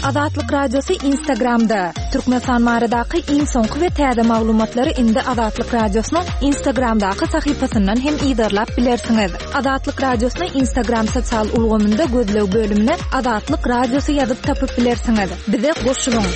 Azatlyk Radiosy Instagramda! Türkmenistan baradaky iň soňky we täze maglumatlary indi Azatlyk Radiosynyň Instagramdaky sahypasyndan hem yzarlap bilersiňiz. Azatlyk Radiosyny Instagram sosial ulgamynda gözleg bölümine Azatlyk Radiosy ýazyp tapyp bilersiňiz. Bize goşulyň!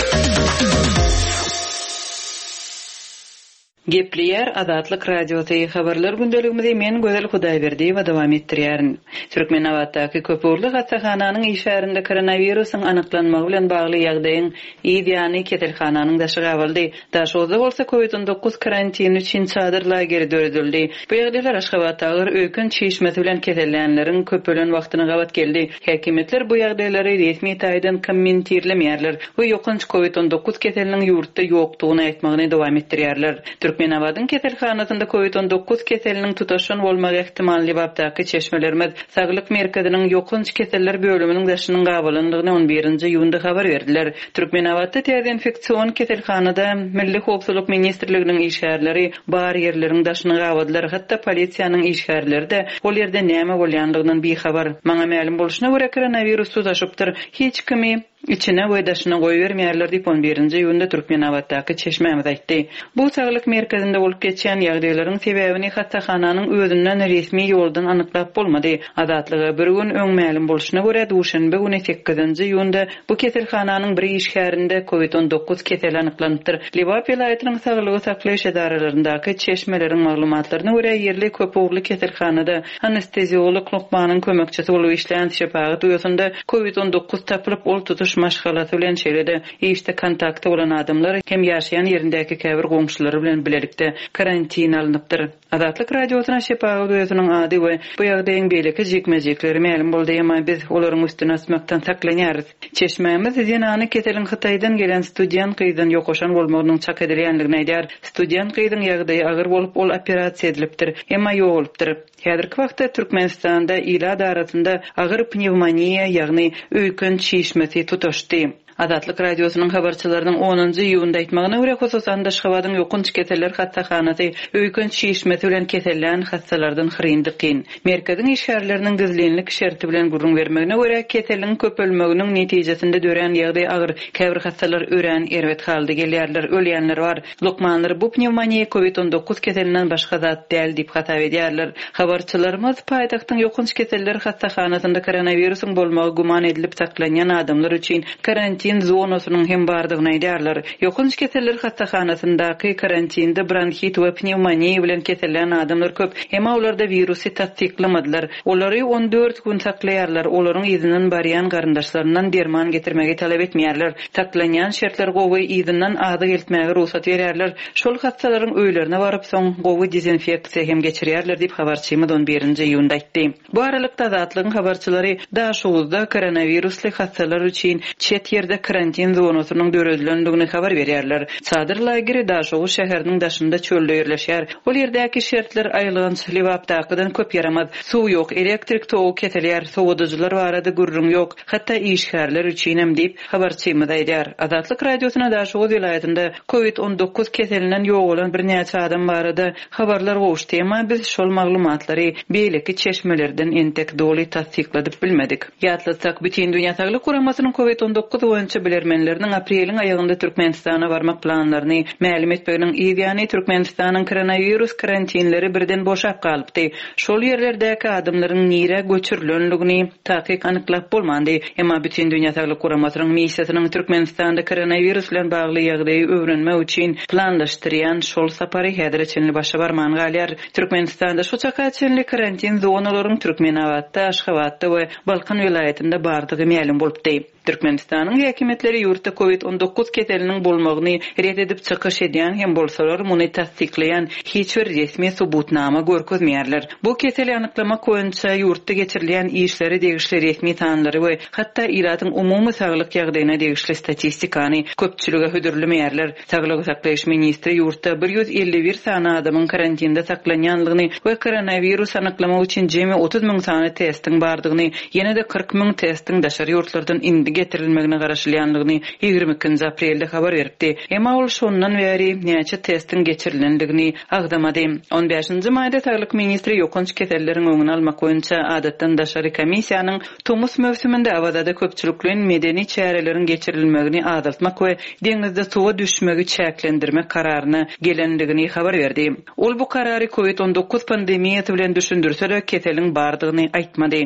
Gepleýär Azatlyk Radiosy, Habarlar gündeligimizi men Gözel Hudaýberdiýewa dowam etdirýärin. Türkmenabatdaky köpugurly hassahananyň işgärinde koronawirusyň anyklanmagy bilen bagly ýagdaýyň yz ýany keselhananyň daşy gabaldy. Daşoguzda bolsa covid 19 karantini üçin çadyr lageri döredildi. Bu ýagdaýlar Aşgabatda agyr öýken çişmesi bilen kesellänleriň köpelen wagtyna gabat geldi. Häkimiýetler bu ýagdaýlary resmi taýdan kommentirlemeýärler we ýokanç covid 19 keseliniň ýurtda ýokdugyny aýtmagyny dowam etdirýärler. Türkmenabadyň keselhanasynda covid 19 keseliniň tutaşan bolmagy ähtimal Lebapdaky çeşmelerimiz Saglyk merkeziniň ýokanç keseller bölüminiň daşynyň gabalandygyny on birinji iýunda habar berdiler. Türkmenabatda täze infeksion keselhanada Milli howpsuzlyk ministrliginiň işgärleri bar ýerleriň daşyny gabadylar, hatda polisiýanyň işgärleri-de ol ýerde näme bolýandygyndan bihabar. Maňa mälim bolşuna görä, koronawirus tutaşypdyr. Hiç kimi içine we daşyna goýbermeýärler diýip, on birinji iýunda Türkmenabatdaky çeşmämiz aýtdy. Bu saglyk merkezinde bolup geçýän ýagdaýlaryň sebäbini hassahananyň özünden resmi ýoldan anyklap bolmady. Azatlyga bir gün öň mälim bolşuna görä, duşenbe güni sekizinji iýunda Bu keselhananyň bir işgärinde covid 19 keseli anyklanypdyr. Lebap welaýatynyň saglygy saklaýyş edaralaryndaky çeşmeleriň maglumatlaryna görä, ýerli köpugurly keselhanada anesteziolog lukmanyň kömekçisi bolup işleýän şepagat uýasynda covid 19 tapylyp, ol tutuş maşgalasy bilen, şeýle-de işde kontakty bolan adamlar hem ýaşaýan ýerindäki käbir goňşulary bilen bilelikde karantine alnypdyr. Azatlyk Radiosyna şepagat uýasynyň ady we bu ýagdaýyň beýleki jikme-jikleri mälim boldy, emma biz olaryň üstüni açmakdan saklanýarys. Çeşmämiz zenany keseliň Hytaýdan gelen student gyzdan ýokaşan bolmagynyň çak edilýändigini aýdýar. Student gyzyň ýagdaýy agyr bolup, ol operasiýa edilipdir, emma ýogalypdyr. Häzirki wagtda Türkmenistanda ilat arasynda agyr pnewmoniýa, ýagny öýken çişmesi tutaşdy. Azatlyk Radiosynyň habarçylarynyň onunjy iýunda aýtmagyna görä, hususan-da Aşgabadyň ýokanç keseller hassahanasy öýken çişmesi bilen kesellän hassalardan hyryn-dykyn. Merkeziň işgärleriniň gizlinlik şerti bilen gürrüň bermegine görä, keseliň köpelmeginiň netijesinde dörän ýagdaý agyr, käbir hassalar örän erbet halda gelýärler, ölýänler bar. Lukmanlar bu pnewmoniýa covid 19 keselinden başga zat däl diýip hasap edýärler. Habarçylarymyz paýtagtyň ýokanç keseller hassahanasynda koronawirusyň bolmagy güman edilip saklanýan adamlar üçin karantin zonasynyň hem bardygyny aýdýarlar. Ýokanç keseller hassahanasyndaky karantinde bronhit we pnewmoniýa bilen kesellän adamlar köp, emma olarda wirusy tassyklamadylar. Olary 14 gün saklaýarlar, olaryň yzyndan barýan garyndaşlaryndan derman getirmegi talap etmeýärler. Saklanýan şertler gowy, yzyndan azyk eltmäge rugsat berýärler. Şol hassalaryň öýlerine baryp, soň gowy dezinfeksiýa hem geçirýärler diýip, habarçymyz on birinji iýunda aýtdy. Bu aralykda, Azatlygyň habarçylary Daşoguzda koronawirusly hassalar üçin çet ýerde karantin zonasynyň döredilendigini habar berýärler. Çadyr lageri Daşoguz şäheriniň daşynda çölde ýerleşýär. Ol ýerdäki şertler aýylganç, Lebapdakydan köp ýaramaz. Suw ýok, elektrik togy kesilýär, sowadyjylar barada gürrüň ýok, hatda işgärler üçinem diýip, Habarçymyz aýdýar. Azatlyk Radiosyna Daşoguz welaýatynda covid 19 keselinden ýogalan birnäçe adam barada habarlar gowuşdy, emma biz şol maglumatlary beýleki çeşmelerden entek doly tassykladyp bilmedik. Ýatlatsak, Bütindünýä Saglyk Guramasynyň covid 19 boýunça bilermenleriniň apreliň aýagynda Türkmenistana barmak planlaryny mälim etmeginiň yz ýany Türkmenistanyň koronawirus karantinleri birden boşap galypdy. Şol ýerlerdäki adamlaryň nirä göçürilendigini takyk anyklap bolmandy. Emma Bütindünýä Saglyk Guramasynyň missiýasynyň Türkmenistanda koronawirus bilen bagly ýagdaýy öwrenmek üçin planlaşdyrýan şol sapary häzire çenli başa barman galýar. Türkmenistanda şu çaka çenli karantin zonalaryň Türkmenabatda, Aşgabatda we Balkan welaýatynda bardygy mälim bolupdy. Türkmenistanyň häkimiýetleri ýurtda covid 19 keseliniň bolmagyny ret edip çykyş edýän hem bolsalar, muny tassyklaýan hiç bir resmi subutnama görkezmeýärler. Bu keseli anyklamak boýunça ýurtda geçirilýän işlere degişli resmi sanlary we hatda ilatyň umumy saglyk ýagdaýyna degişli statistikany köpçülige hödürlemeýärler. Saglygy saklaýyş ministri ýurtda 151 sany adamyň karantinde saklanýandygyny we koronawirus anyklamak üçin jemi 30 müň sany testiň bardygyny, ýene-de 40 müň testiň daşary ýurtlardan indi. getirilmegine garaşylýandygyny 22-nji aprelde habar beripdi. Emma ol şondan bäri näçe testiň geçirilendigini agzamady. On bäşinji maýda saglyk ministri ýokanç keselleriň öňüni almak boýunça adatdan daşary komissiýanyň tomus möwsüminde Awazada köpçülikleýin medeni çäreleriň geçirilmegini azaltmak we deňizde suwa düşmegi çäklendirmek kararyna gelendigini habar berdi. Ol bu karary Covid 19 pandemiýasy bilen düşündirse-de, keseliň bardygyny aýtmady.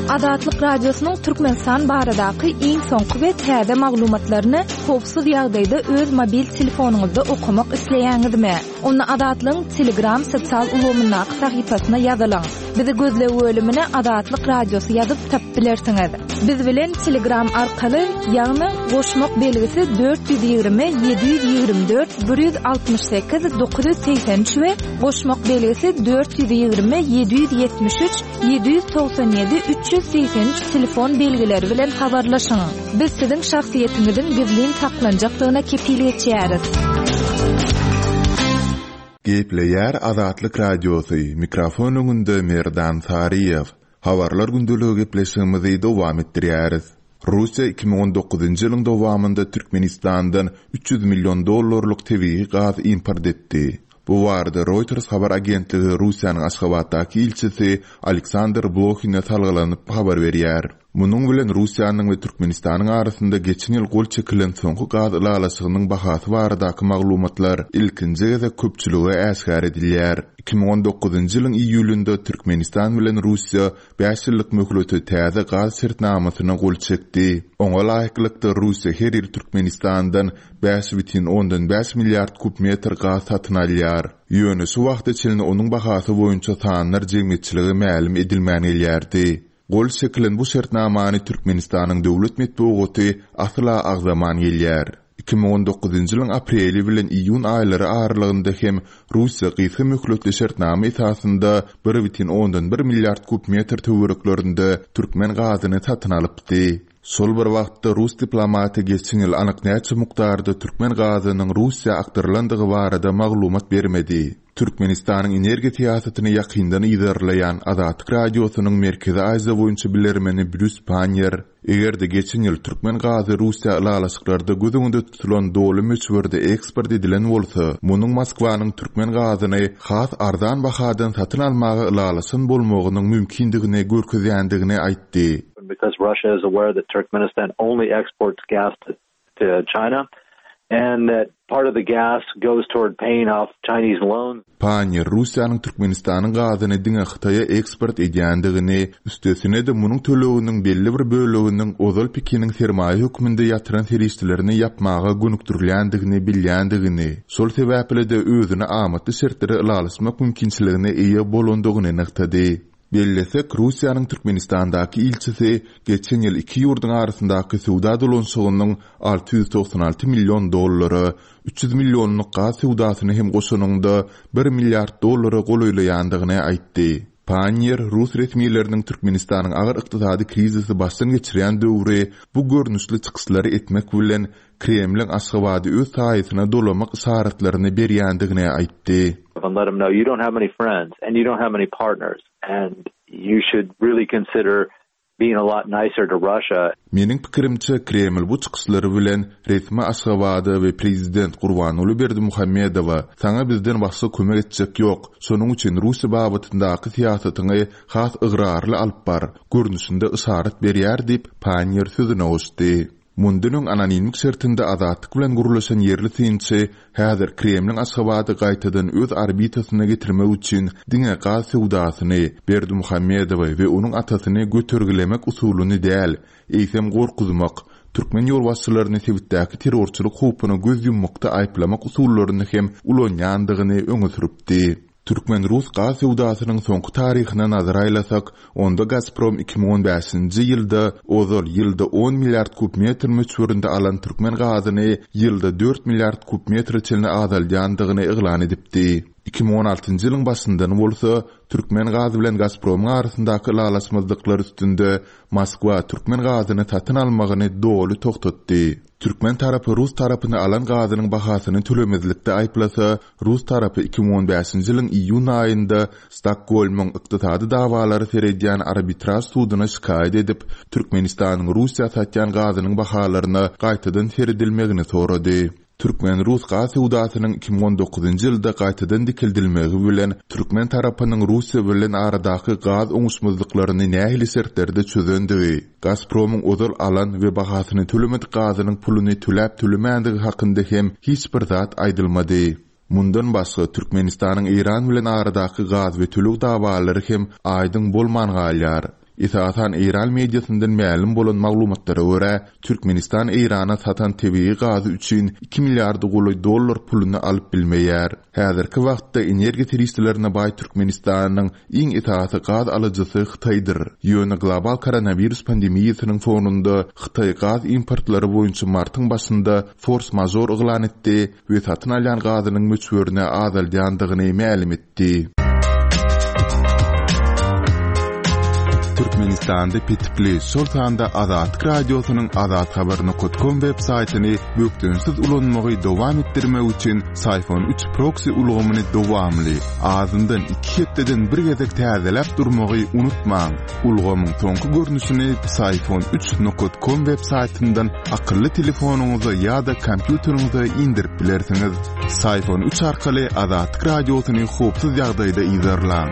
Azatlyk Radiosynyň Türkmenistan baradaky iň soňky we täze maglumatlaryny howpsuz ýagdaýda öz mobil telefonyňyzda okamak isleýäňizmi? Onda Azatlygyň Telegram sosial ulgamyndaky sahypasyna ýazylyň. Bizi gözleg bölümine Azatlyk Radiosy ýazyp tapyp bilersiňiz. Biz bilen Telegram arkaly, ýagny goşmak belgisi 420 724 168 983 we goşmak belgisi 420 773 797 383 telefon belgileri bilen habarlaşyň. Biz siziň şahsyýetiňiziň gizlin saklanjakdygyna kepil geçýäris. Gepleýär Azatlyk Radiosy, mikrofon öňünde Merdan Saryýew. Habarlar gündeligi gepleşigimizi dowam etdirýäris. Russiýa 2019-njy ýylyň dowamynda Türkmenistandan 300 million dollarlyk tebigy gaz import etdi. Bu barada Reuters habar agentligi Russiýanyň Aşgabatdaky ilçisi Aleksandr Blohine salgylanyp habar berýär. Munuň bilen Russiýanyň we Türkmenistanyň arasynda geçen ýyl gol çekilen soňky gaz ylalaşygynyň bahasy baradaky maglumatlar ilkinji gezek köpçülige äşgär edilýär. 2019-njy ýylyň iýulynda Türkmenistan bilen Russiýa bäş ýyllyk möhlete täze gaz şertnamasyna gol çekdi. Oňa laýyklykda, Russiýa her ýyl Türkmenistandan 5,5 milliard kub metr gaz satyn alýar. Ýöne şu wagta çenli onuň bahasy boýunça sanlar jemgyýetçilige mälim edilmän gelýärdi. Gol çekilen bu şertnamany Türkmenistanyň döwlet metbugaty asla agzaman gelýär. 2019-njy ýylyň apreli bilen iýun aýlary aralygynda hem Russiýa gysga möhletli şertnama esasynda 1,1 milliard kub metr töwereklerinde türkmen gazyny satyn alypdy. Şol bir wagtda, rus diplomaty geçen ýyl anyk näçe mukdarda türkmen gazynyň Russiýa akdyrylandygy barada maglumat bermedi. Türkmenistanyň energiýa syýasatyny ýakyndan yzarlaýan Azatlyk Radiosynyň Merkezi Aziýa boýunça bilermeni Brýus Panniýer, eger-de geçen ýyl türkmen gazy Russiýa ylalaşyklarda göz öňünde tutulan doly möçberde eksport edilen bolsa, munuň Moskwanyň türkmen gazyny has arzan bahadan satyn almaga ylalaşan bolmagynyň mümkindigini görkezýändigini aýtdy. Because Russia is aware that Turkmenistan only exports gas to to China and that part of the gas goes toward paying off Chinese loans. Panniýer Russiýanyň Türkmenistanyň gazyny diňe Hytaýa eksport edýändigini, üstesine-de munuň töleginiň belli bir böleginiň ozal Pekiniň sermaýa hökmünde ýatyran serişdelerini ýapmaga gönükdirilýändigini bilýändigini, şol sebäpli-de özüne amatly şertlere ylalaşmak mümkinçiligine eýe bolandygyny nygtady. Bellesek, Russiýanyň Türkmenistandaky ilçisi geçen ýyl iki ýurduň arasyndaky söwda dolanyşygynyň 696 million dollara, 300 millionlyk gaz söwdasyny hem goşanyňda, bir milliard dollara golaýlaýandygyny aýtdy. Panniýer rus resmileriniň Türkmenistanyň agyr ykdysady krizisi başdan geçirýän döwri bu görnüşli çykyşlary etmek bilen, Kremliň Aşgabady öz saýasyna dolamak yşaratlaryny berýändigini aýtdy. And let them know you don't have many friends and you don't have many partners and you should really consider being a lot nicer to Russia. Meniň pikirimçe, Kreml bu çykyşlary bilen resmi Aşgabada we prezident Gurbanguly Berdimuhamedowa, Saňa bizden başga kömek etjek ýok, şonuň üçin Russiýa babatyndaky syýasatyňy has ygrarly alyp bar görnüşinde yşarat berýär diýip, Panniýer sözüne goşdy. Mundan öň anonimlik şertinde Azatlyk bilen gürleşen ýerli synçy häzir Kremliň Aşgabady gaýtadan öz orbitasyna getirmek üçin diňe gaz söwdasyny, Berdimuhamedowy we onuň atasyny götergilemek usulyny däl, eýsem gorkuzmak, türkmen ýolbaşçylaryny sebitdäki terrorçylyk howpuna göz ýummakda aýyplamak usullaryny hem ulanýandygyny öňe sürüpdi. Türkmen-rus gaz söwdasynyň soňky taryhyna nazar aýlasak, onda Gazprom 2015-nji ýylda ozal ýylda on milliard kub metr möçberinde alan türkmen gazyny ýylda dört milliard kub metre çenli azaldýandygyny yglan edipdi. 2016-njy ýylyň başyndan bolsa, Türkmengaz bilen Gazpromyň arasyndaky ylalaşmazlyklar üstünde Moskwa türkmen gazyny satyn almagyny doly togtatdy. Türkmen tarapy rus tarapyny alan gazynyň bahasyny tölemezlikde aýyplasa, rus tarapy 2015-nji ýylyň iýun aýynda Stokgolmyň ykdysady dawalara seredýän arbitraž suduna şikaýat edip, Türkmenistanyň Russiýa satýan gazynyň bahalaryna gaýtadan seredilmegini sorady. Türkmen-rus gaz söwdasynyň 2019-njy ýylda gaýtadan dikeldilmegi bilen, türkmen tarapynyň Russiýa bilen aradaky gaz oňuşmazlyklaryny nähili şertlerde çözendigi, Gazpromyň ozal alan we bahasyny tölemedik gazynyň puluny töläp-tölemändigi hakynda hem hiç bir zat aýdylmady. Mundan başga, Türkmenistanyň Eýran bilen aradaky gaz we töleg dawalary hem aýdyň bolman galýar. Esasan eýran mediasyndan mälim bolan maglumatlara görä, Türkmenistan Eýrana satan tebigy gazy üçin iki milliarda golaý dollar puluny alyp bilmeýär. Häzirki wagtda energiýa serişdelerine baý Türkmenistanyň iň esasy gaz alyjysy Hytaýdyr. Ýöne global koronawirus pandemiýasynyň fonunda Hytaý gaz importlary boýunça martyň başynda fors-mažor yglan etdi we satyn alýan gazynyň möçberini azaldýandygyny mälim etdi. Türkmenistanda petikli, şol sanda Azatlyk Radiosynyň azathabar nokat kom web saýtyny bökdençsiz ulanmagy dowam etdirmek üçin Syfon üç proksi ulgamyny dowamly, azyndan iki hepdeden bir gezek täzeläp durmagy unutmaň. Ulgamyň soňky görnüşini Syfon üç nokat kom web saýtyndan akylly telefonyňyza ýa-da kompýuteriňize indirip bilersiňiz. Syfon üç arkaly Azatlyk Radiosyny howpsuz ýagdaýda yzarlaň.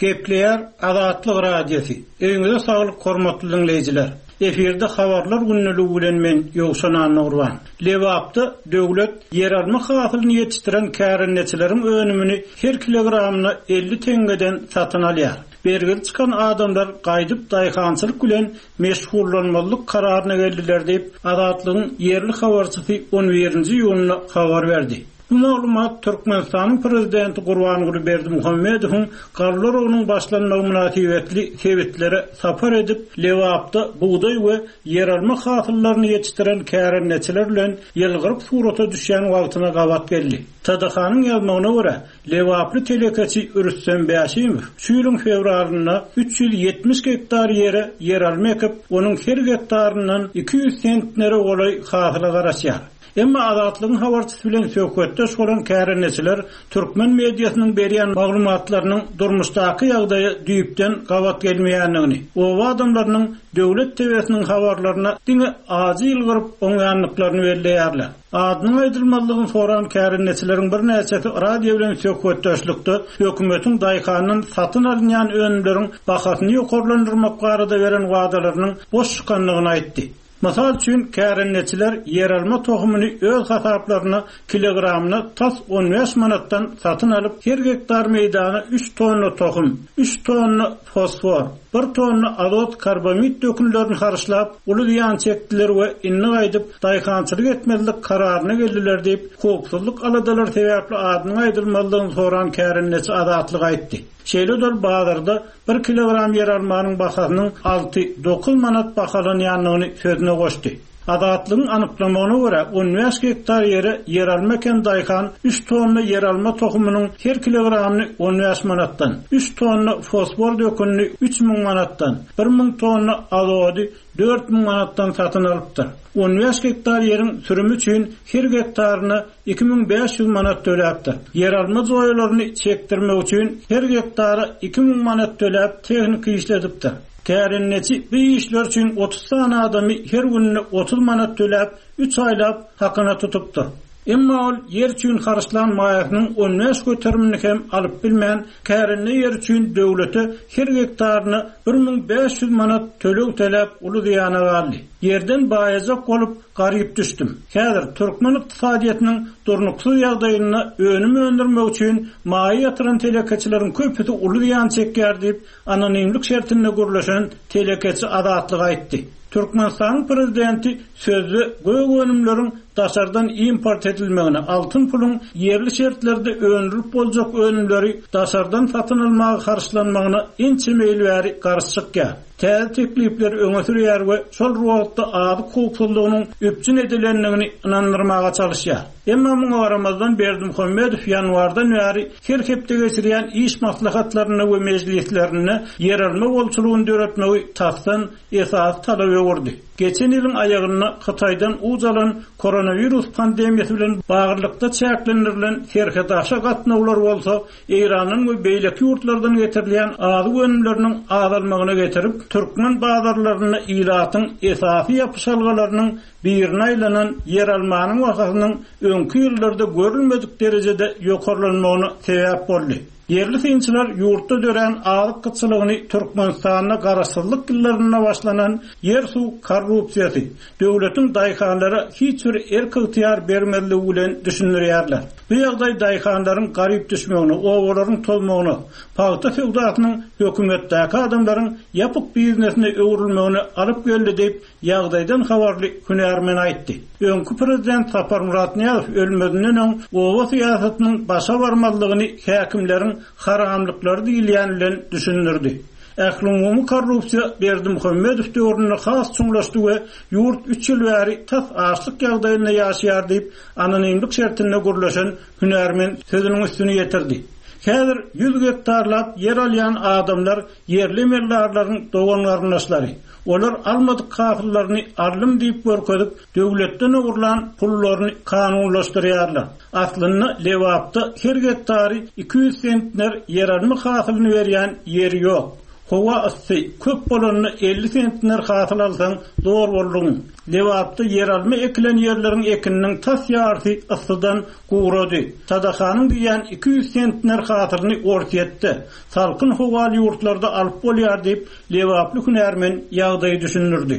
Gepleýär Azatlyk Radiosy. Öýüňize saglyk hormatly diňleýjiler. Efirde habarlar gündeligi bilen men Ýowşan Annagurban. Lebapda döwlet ýeralma hasylyny ýetişdiren kärendeçileriň önümini her kilogramyna 50 teňňeden satyn alýar. Bergili çykan adamlar gaýdyp daýhançylyk bilen meşgullanmazlyk kararyna geldiler diýip, Azatlygyň ýerli habarçysy on birinji iýunda habar berdi. Bu maglumat Türkmenistanyň prezidenti Gurbanguly Berdimuhamedowyň galla oragynyň başlanmagy mynasybetli sebitlere sapar edip, Lebapda bugdaý we ýeralma hasyllaryny ýetişdiren kärendeçiler bilen ýylgyryp surata düşýän wagtyna gabat geldi. TDH-nyň ýazmagyna görä, Lebaply telekeçi Rüstem Bäşimow şu ýylyň fewralynda 370 gektar ýere ýeralma ekip, onuň her gektaryndan 200 sentnere golaý hasyla garaşýar. Emma Azatlygyň habarçysy bilen söhbetdeş bolan kärendeçiler türkmen mediasynyň berýän maglumatlarynyň durmuşdaky ýagdaýa düýpden gabat gelmeýändigini, oba adamlarynyň döwlet TW-siniň habarlaryna diňe ajy ýylgyryp oňýandyklaryny belleýärler. Adynyň aýdylmazlygyny soran kärendeçileriň birnäçesi radio bilen söhbetdeşlikde hökümetiň daýhandan satyn alynýan önümleriň bahasyny ýokarlandyrmak barada beren wadalarynyň boş çykandygyny aýtdy. Mysal üçin, kärendeçiler ýeralma tohumyny öz hasaplaryna kilogramyna tas 15 manatdan satyn alyp, her gektar meýdana üç tonna tohum, üç tonna fosfor, bir tonna azot karbamid dökünlerini harçlap, uly zyýan çekdiler we indi gaýdyp daýhançylyk etmezlik kararyna geldiler diýip, howpsuzlyk aladalary sebäpli adynyň aýdylmazlygyny soran kärendeçi Azatlyga aýtdy. Şeýle-de ol bazarda bir kilogram ýeralmanyň bahasynyň alty, dokuz manat bahalanýandygyny sözüne goşdy. Azatlygyň anyklamagyna görä, 15 gektar ýere ýeralma eken daýhan üç tonna ýeralma tohumynyň her kilogramyny 15 manatdan, üç tonna fosfor dökünini 3000 manatdan, 1000 tonna azody 4000 manatdan satyn alypdyr. 15 gektar ýeriň sürümi üçin her gektaryna 2500 manat töläpdir. Ýeralma joýalaryny çekdirmek üçin her gektara 2000 manat töläp tehnika işledipdir. Kärendeçi bu işler üçin 30 sany adamy her gününe 30 manat töläp, üç aýlap hakyna tutupdyr. Emma ol ýer üçin harçlan maýasynyň 15 göterimini hem alyp bilmän, kärende ýeri üçin döwlete her gektaryna 1500 manat töleg töläp uly zyýana galdy. Ýerden baýajak bolup, garyp düşdüm. Häzir türkmen ykdysadyýetiniň durnuksyz ýagdaýynda önüm öndürmek üçin maýa ýatyran telekeçileriň köpüsi uly zyýan çekýär diýip, anonimlik şertinde gürleşen telekeçi Azatlyga aýtdy. Türkmenistanyň prezidenti sözde gök önümleriň daşardan import edilmegine, altyn puluň ýerli şertlerde öndürip boljak önümleri daşardan satyn almaga harçlanmagyna ençeme ýyl bäri garşy çykýar. Täze teklipleri öňe sürýär we şol bir wagtda azyk howpsuzlygynyň üpjün edilendigini ynandyrmaga çalyşýar. Emma muňa garamazdan Berdimuhamedow ýanwardan bäri her hepde geçirýän iş maslahatlarynda we mejlislerinde ýeralma bolçulygyny döretmegi tasdan esasy talaba öwürdi. Geçen ýylyň aýagynda Hytaýdan uç alan koronawirus pandemiýasy bilen baglylykda çäklendirilen serhetaşa gatnawlar bolsa Eýrandan we beýleki ýurtlardan getirilýän azyk önümleriniň azalmagyna getirip, türkmen bazarlarynda ilatyň esasy ýapyşalgalarynyň birine aýlanan ýeralmanyň bahasynyň öňki ýyllarda görülmedik derejede ýokarlanmagyna sebäp boldy. Ýerli synçylar ýurtda dörän azyk gytçylygyny Türkmenistanda garaşsyzlyk ýyllarynda başlanan ýer-suw korrupsiýasy, döwletiň daýhanlara hiç bir erk-ygtyýar bermezligi bilen düşündirýärler. Bu ýagdaý daýhanlaryň garyp düşmegine, obalaryň tozmagyna, pagta söwdasynyň hökümetdäki adamlaryň ýapyk biznesine öwrülmegine alyp geldi diýip, Ýagdaýdan habarly hünärmen aýtdy. Öňki prezident Saparmyrat Nyýazow ölmezinden öň oba syýasatynyň başa barmazlygyny häkimleriň haramlyklary diýilýän bilen düşündirdi. Ählumumy korrupsiýa Berdimuhamedow döwründe has çuňlaşdy we ýurt üç ýyl bäri tas açlyk ýagdaýynda ýaşaýar diýip, anonimlik şertinde gürleşen hünärmen sözüniň üstüni ýetirdi. Häzir ýüz gektarlap ýer alýan adamlar ýerli emeldarlaryň dogan-garyndaşlary. Olar almadyk hasyllaryny aldym diýip görkezip, döwletden ogurlan pullaryny kanunlaşdyrýarlar. Aslynda Lebapda her gektary 200 sentner ýeralma hasylyny berýän ýer ýok. Howa yssy, köp bolanda 50 sentner hasyl alsaň zor boldugyň. Lebapda ýeralma ekilen ýerleriň ekininiň tas ýarysy yssydan gurady. Sadakanyň diýýän 200 sentner hasylyny Orsýetde, salkyn howaly ýurtlarda alyp bolýar diýip, Lebaply hünärmen ýagdaýy düşündirdi.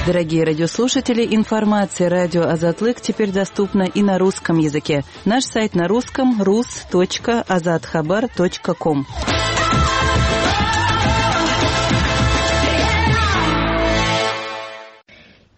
Дорогие радиослушатели, информация радио Азатлык теперь доступна и на русском языке. Наш сайт на русском rus.azathabar.com.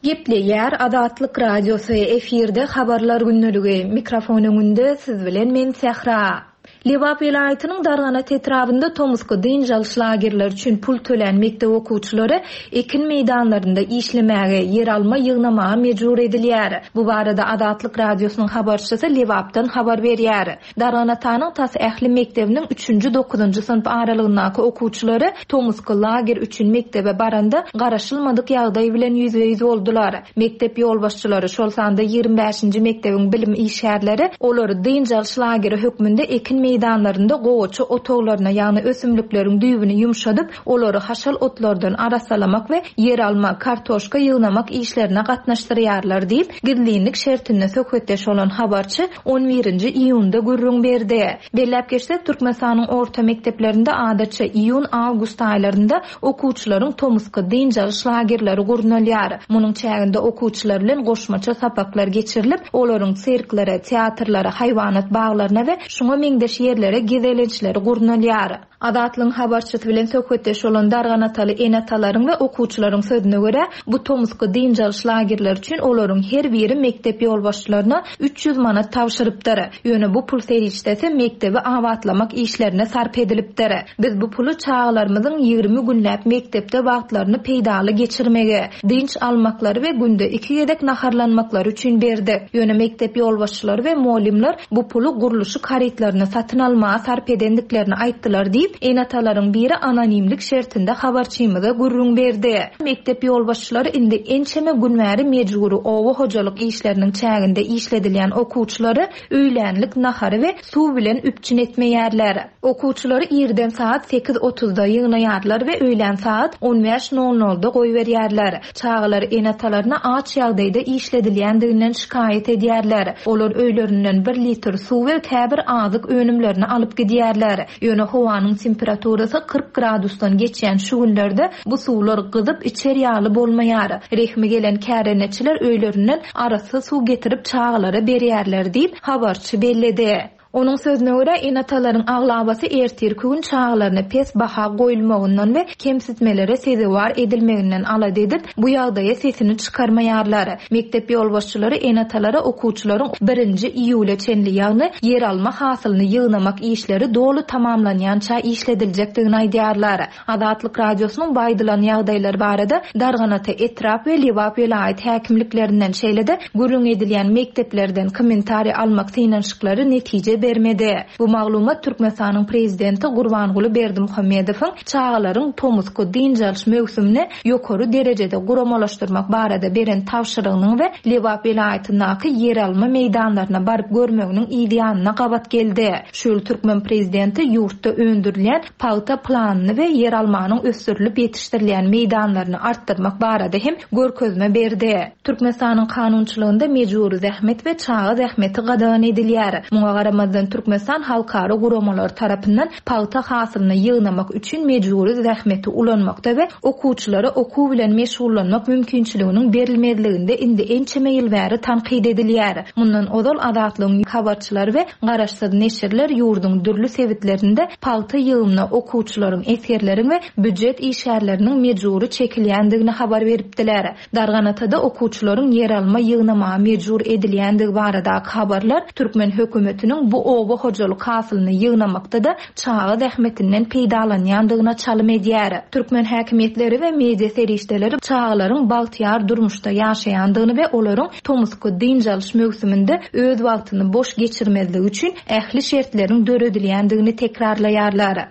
Gepleýär Azatlyk Radiosy, efirde Habarlar gündeligi, mikrofon öňünde siz bilen men Sähra. Lebap welaýatynyň Darganat etrabynda tomusky dynç alyş lagerleri üçin pul tölän mekdep okuwçylary ekin meýdanlarynda işlemäge, ýeralma ýygnamaga mejbur edilýär. Bu barada Azatlyk Radiosynyň habarçysy Lebapdan habar berýär. Darganatanyň tas ähli mekdebiniň üçünji-dokuzynjy synp aralygyndaky okuwçylary tomusky lager üçin mekdebe baranda garaşylmadyk ýagdaý bilen ýüzbe-ýüz boldular. Mekdep ýolbaşçylary, şol sanda ýigrimi bäşinji mekdebiň bilim işgärleri olary dynç alyş lageri hökmünde ekin meýdanlarynda gowaça otaglaryna, ýagny ösümlikleriň düýbüni ýumşadyp, olary haşal otlardan arassalamak we ýeralma, kartoşka ýygnamak işlerine gatnaşdyrýarlar diýip, gizlinlik şertinde söhbetdeş bolan habarçy on birinji iýunda gürrüň berdi. Belläp geçsek, Türkmenistanyň orta mekdeplerinde adatça iýun-awgust aýlarynda okuwçylaryň tomusky dynç alyş lagerleri gurnalýar. Munuň çäginde okuwçylar bilen goşmaça sapaklar geçirilip, olaryň sirklere, teatrlara, haýwanat baglaryna we şuňa meňzeş ýerlere gezelençleri gurnalýar. Azatlygyň habarçysy bilen söhbetdeş bolan darganataly ene-atalaryň we okuwçylaryň sözüne görä, bu tomusky dynç alyş lagerleri üçin olaryň her biri mekdep ýolbaşçylaryna 300 manat tabşyrypdyr. Ýöne bu pul serişdesi mekdebi abatlamak işlerine sarp edilipdir. Biz bu puly çagalarymyzyň 20 günläp mekdepde wagtlaryny peýdaly geçirmegi, dynç almaklary we günde iki gezek naharlanmaklary üçin berdik. Ýöne mekdep ýolbaşçylary we mugallymlar bu puly gurluşyk harytlaryny satyn almaga sarp edendiklerini aýtdylar diýip, ene-atalaryň biri anonimlik şertinde habarçymyza gürrüň berdi. Mekdep ýolbaşçylary indi ençeme gün bäri mejbury oba hojalyk işleriniň çäginde işledilýän okuwçylary öýlänlik nahary we suw bilen üpjün etmeýärler. Okuwçylary irden sagat sekiz otuzda ýygnaýarlar we öýlän sagat on bäş nol nolda goýberýärler. Çagalar ene-atalaryna aç ýagdaýda işledilýändiginden şikaýat edýärler. Olar öýlerinden bir litr suw we käbir azyk önümlerini alyp gidýärler. Ýöne howanyň temperaturasy 40 gradusdan geçýän şu günlerde bu suwlar gyzyp içer ýaly bolmaýar. Rehmi gelen kärendeçiler öýlerinden arassa suw getirip çagalara berýärler diýip, habarçy belledi. Onuň sözüne görä, ene-atalaryň aglabasy ertirki gün çagalaryna pes baha goýulmagyndan we kemsitmelere sezewar edilmeginden alada edip, bu ýagdaýa sesini çykarmaýarlar. Mekdep ýolbaşçylary ene-atalara okuwçylaryň birinji iýula çenli, ýagny ýeralma hasylyny ýygnamak işleri doly tamamlanýança işlediljekdigini aýdýarlar. Azatlyk Radiosynyň bu aýdylan ýagdaýlar barada Darganata etrap we Lebap welaýat häkimliklerinden, şeýle-de gürrüň edilýän mekdeplerden kommentariý almak synanyşyklary netije bermedi. Bu maglumat Türkmenistanyň prezidenti Gurbanguly Berdimuhamedowyň çagalaryň tomusky dynç alyş möwsümini ýokary derejede guramalaşdyrmak barada beren tabşyrygynyň we Lebap welaýatyndaky ýeralma meýdanlaryna baryp görmeginiň yzýanyna gabat geldi. Şu ýyl türkmen prezidenti ýurtda öndürilýän pagta planyny we ýeralmanyň ösdürilip ýetişdirilýän meýdanlaryny artdyrmak barada hem görkezme berdi. Türkmenistanyň kanunçylygynda mejbury zähmet we çaga zähmeti gadagan edilýär. Muňa garamazdan Türkmenistan halkara guramalary tarapyndan pagta hasylyny ýygnamak üçin mejbury zähmeti ulanmakda we okuwçylara okuw bilen meşgullanmak mümkinçiliginiň berilmezliginde indi ençeme ýyl bäri tankyt edilýär. Mundan ozal Azatlygyň habarçylary we garaşsyz neşirler ýurduň dürli sebitlerinde pagta ýygymyna okuwçylaryň, esgerleriň we býujet işgärleriniň mejbury çekilýändigini habar beripdiler. Darganatada okuwçylaryň ýeralma ýygnamaga mejbur edilýändigi baradaky habarlar türkmen hökümetiniň bu oba hojalyk hasylyny ýygnamakda-da çaga zähmetinden peýdalanýandygyna çalym edýär. Türkmen häkimiýetleri we media serişdeleri çagalaryň bagtyýar durmuşda ýaşaýandygyny we olaryň tomusky dynç alyş möwsüminde öz wagtyny boş geçirmezligi üçin ähli şertleriň döredilýändigini tekrarlaýarlar.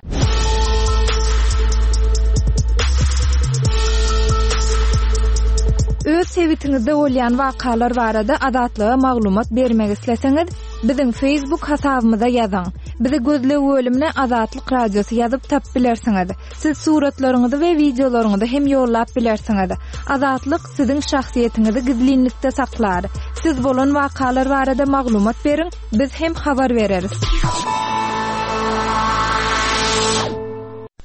Öz sebitiňizde bolýan wakalar barada Azatlyga maglumat bermek isleseňiz, biziň Facebook hasabymyza ýazyň. Bizi gözleg bölümine Azatlyk Radiosy ýazyp tapyp bilersiňiz. Siz suratlaryňyzy we wideolaryňyzy hem ýollap bilersiňiz. Azatlyk siziň şahsyýetiňizi gizlinlikde saklar. Siz bolan wakalar barada maglumat beriň, biz hem habar bereris.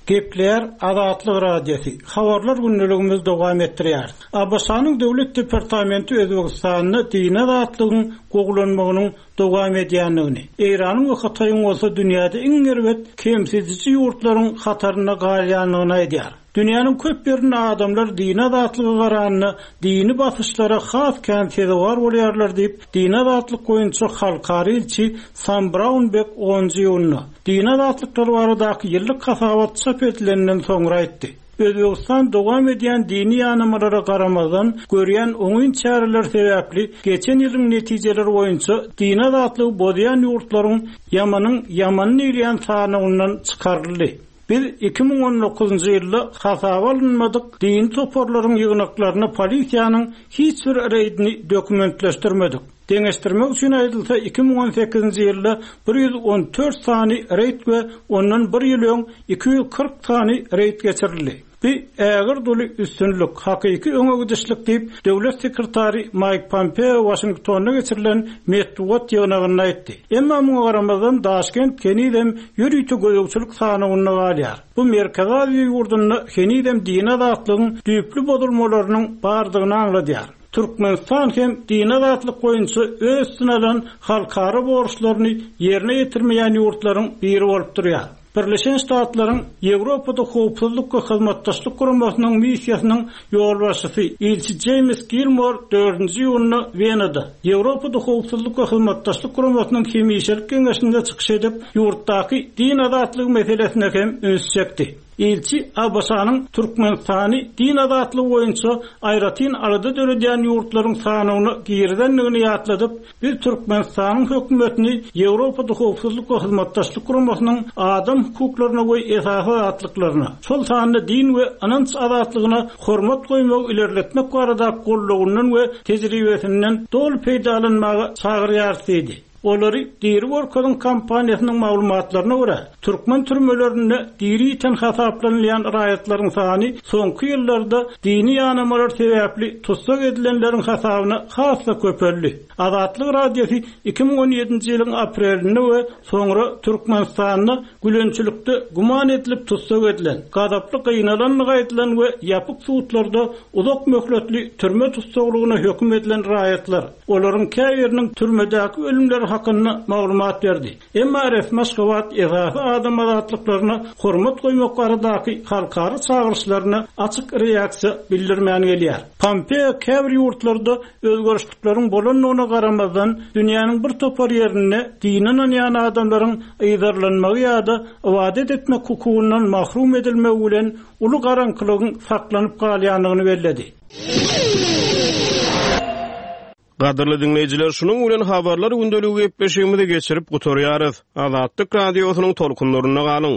Gepleýär Azatlyk Radiosy, Habarlar gündeligimizi dowam etdirýäris. ABŞ-nyň Döwlet departamenti Özbegistanda dini azatlygyň gowulanmagynyň dowam edýändigini, Eýranyň we Hytaýyň bolsa dünýäde iň erbet kemsidiji ýurtlaryň hatarynda galýandygyny aýdýar. Dünýäniň köp ýerinde adamlar dini azatlyga garanda dini basyşlara has kän sezewar bolýarlar diýip, dini azatlyk boýunça halkara ilçi Sam Braunbek onunjy iýunda, dini azatlyklar baradaky ýyllyk hasabat çap edilenden soňra aýtdy. Özbegistan dowam edýän dini ýanamalara garamazdan, görýän oňyn çäreleri sebäpli geçen ýylyň netijeleri boýunça dini azatlygy bozýan ýurtlaryň ýamanyň ýamany diýilýän sanawyndan çykaryldy. Biz 2019-njy ýylda hasaba alynmadyk dini toparlaryň ýygnaklaryna polisiýanyň hiç bir reýdini dokumentleşdirmedik. Deňeşdirmek üçin aýdylsa, 2018-nji ýylda 114 sany reýd we ondan bir ýyl öň 240 sany reýd geçirildi. Bu ägirt uly üstünlik, hakyky öňe gidişlik diýip, döwlet sekretary Maýk Pompeo Waşingtonda geçirilen metbugat ýygnagynda aýtdy. Emma muňa garamazdan, Daşkent henizem ýörite gözegçilik sanawynda galýar. Bu Merkezi Aziýa ýurdunda henizem dini azatlygyň düýpli bozulmalarynyň bardygyny aňladýar. Türkmenistan hem dini azatlyk boýunça öz üstüne alan halkara borçlaryny ýerine ýetirmeýän ýurtlaryň biri bolup durýar. Birleşen Ştatlaryň Ýewropada Howpsuzlyk we Hyzmatdaşlyk Guramasynyň missiýasynyň ýolbaşçysy, ilçi Jeýms Gilmor dördünji iýunda Wenada, Ýewropada Howpsuzlyk we Hyzmatdaşlyk Guramasynyň hemişelik geňeşinde çykyş edip, ýurtdaky din azatlygy meselesine hem üns çekdi. Ilçi ABŞ-nyň Türkmenistany din azatlygy boýunça aýratyn alada döredýän ýurtlaryň sanawyna girizendigini ýatladyp, Biz Türkmenistanyň hökümetini Ýewropada Howpsuzlyk we Hyzmatdaşlyk Guramasynyň adam hukuklaryna we esasy azatlyklaryna, şol sanda din we ynanç azatlygyna hormat goýmagy ilerletmek baradaky goldawyndan we tejribesinden doly peýdalanmaga çagyrýarys diýdi. Olary diri görkeziň kampaniýasynyň maglumatlaryna görä, türkmen türmelerinde diri ýiten hasaplanylýan raýatlaryň sany soňky ýyllarda dini ýanamalar sebäpli tussag edilenleriň hasabyna has-da köpeldi. Azatlyk Radiosy 2017-nji ýylyň aprelinde we soňra Türkmenistanda gülençilikde güman edilip tussag edilen, gazaply gynalandygy aýdylan we ýapyk sudlarda uzak möhletli türme tussaglygyna höküm edilen raýatlar, olaryň käbiriniň türmedäki ölümleri. hakynda maglumat berdi. Emma resmi Aşgabat esasy adam azatlyklaryna hormat goýmak baradaky halkara çagyryşlaryna açyk reaksiýa bildirmän gelýär. Pompeo käbir ýurtlarda özgerişlikleriň bolandygyna garamazdan, dünýäniň bir topar ýerinde dine ynanýan adamlaryň yzarlanmagy ýa-da ybadat etmek hukugyndan mahrum edilmegi bilen uly garaňkylygyň saklanyp galýandygyny belledi. Gadyrly diňleýjiler, şunuň bilen Habarlar gündeligi gepleşigimizi geçirip gutarýarys. Azatlyk Radiosynyň tolkunlarynda galyň!